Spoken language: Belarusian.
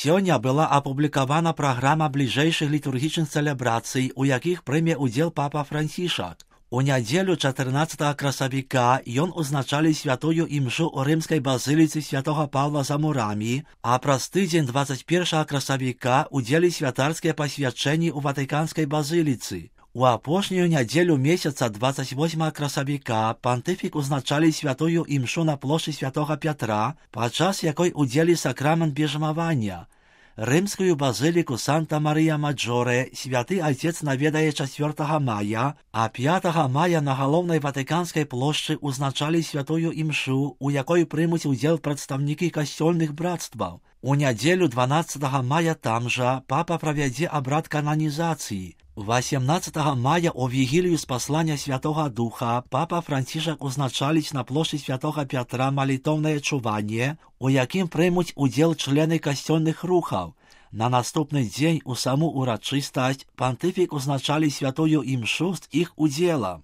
Сёння была апублікавана праграма бліжэйшых літургічных цэлебрацый, у якіх прыме ўдзел папа Францішак. У нядзелю 14 красавіка ён узначалі святую імшу ў рымскай базыліцы святога Паўла за мурамі, а праз тыдзень 21 красавіка ўдзелі святарскія пасвячэнні ў Ватыканскай базыліцы. У апошнюю нядзелю месяца 28 красавіка пантыфік узначалі святую імшу на плошчы святога Пятра, падчас якой удзелі сакрамент бежмавання. Рымскую базыліку Санта-Марыя-Маджоре святы айцец наведае 4 мая, а 5 мая на галоўнай Ватыканскай плошчы узначалі святую імшу, у якой прымуць удзел прадстаўнікі касцёльных брацтваў. У нядзелю 12 мая там жа папа правядзе абрад кананізацыі. 18 мая у вігілію спаслання Святога Духа папа Францішак узначаліць на плошчы святога Пятра малітоўнае чуванне, у якім прымуць удзел члены касцёльных рухаў. На наступны дзень у саму урачыстасць пантыфік узначалі святую імшу з іх удзелам.